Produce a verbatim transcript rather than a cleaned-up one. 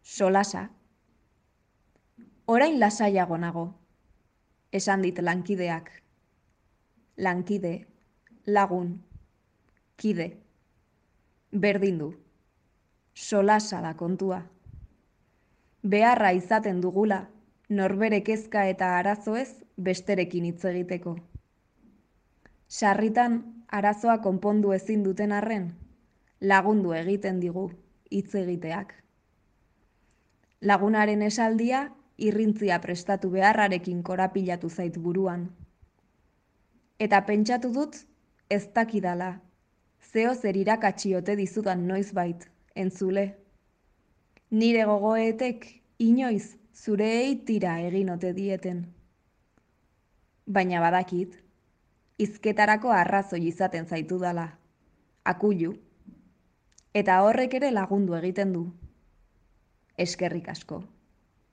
solasa. Orain lasaiago nago, esan dit lankideak. Lankide, lagun, kide. Berdin du, solasa da kontua. Beharra izaten dugula, norbere kezka eta arazoez besterekin hitz egiteko. Sarritan arazoa konpondu ezin duten arren, lagundu egiten digu hitz egiteak. Lagunaren esaldia irrintzia prestatu beharrarekin korapilatu zait buruan. Eta pentsatu dut ez dakidala, zeo zer irakatsi ote dizudan noizbait, entzule. Nire gogoetek inoiz zureei tira egin ote dieten. Baina badakit, hizketarako arrazoi izaten zaitudala, akuilu, eta horrek ere lagundu egiten du. Eskerrik asko.